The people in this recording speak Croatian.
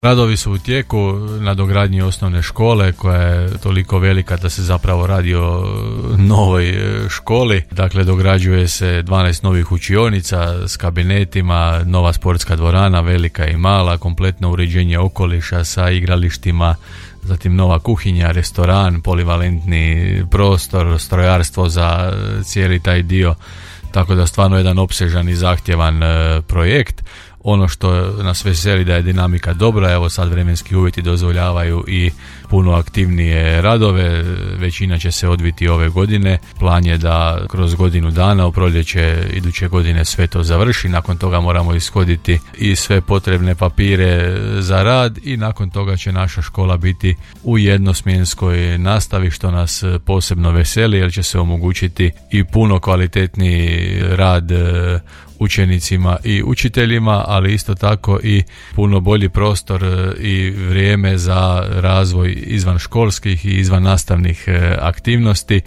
Radovi su u tijeku na dogradnji osnovne škole koja je toliko velika da se zapravo radi o novoj školi. Dakle, dograđuje se 12 novih učionica s kabinetima, nova sportska dvorana, velika i mala, kompletno uređenje okoliša sa igralištima, zatim nova kuhinja, restoran, polivalentni prostor, strojarstvo za cijeli taj dio. Tako da stvarno jedan opsežan i zahtjevan projekt. Ono što nas veseli da je dinamika dobra, evo sad vremenski uvjeti dozvoljavaju i puno aktivnije radove, većina će se odviti ove godine. Plan je da kroz godinu dana u proljeće iduće godine sve to završi, nakon toga moramo ishoditi i sve potrebne papire za rad i nakon toga će naša škola biti u jednosmjenskoj nastavi, što nas posebno veseli jer će se omogućiti i puno kvalitetniji rad učenicima i učiteljima, ali isto tako i puno bolji prostor i vrijeme za razvoj izvan školskih i izvan nastavnih aktivnosti.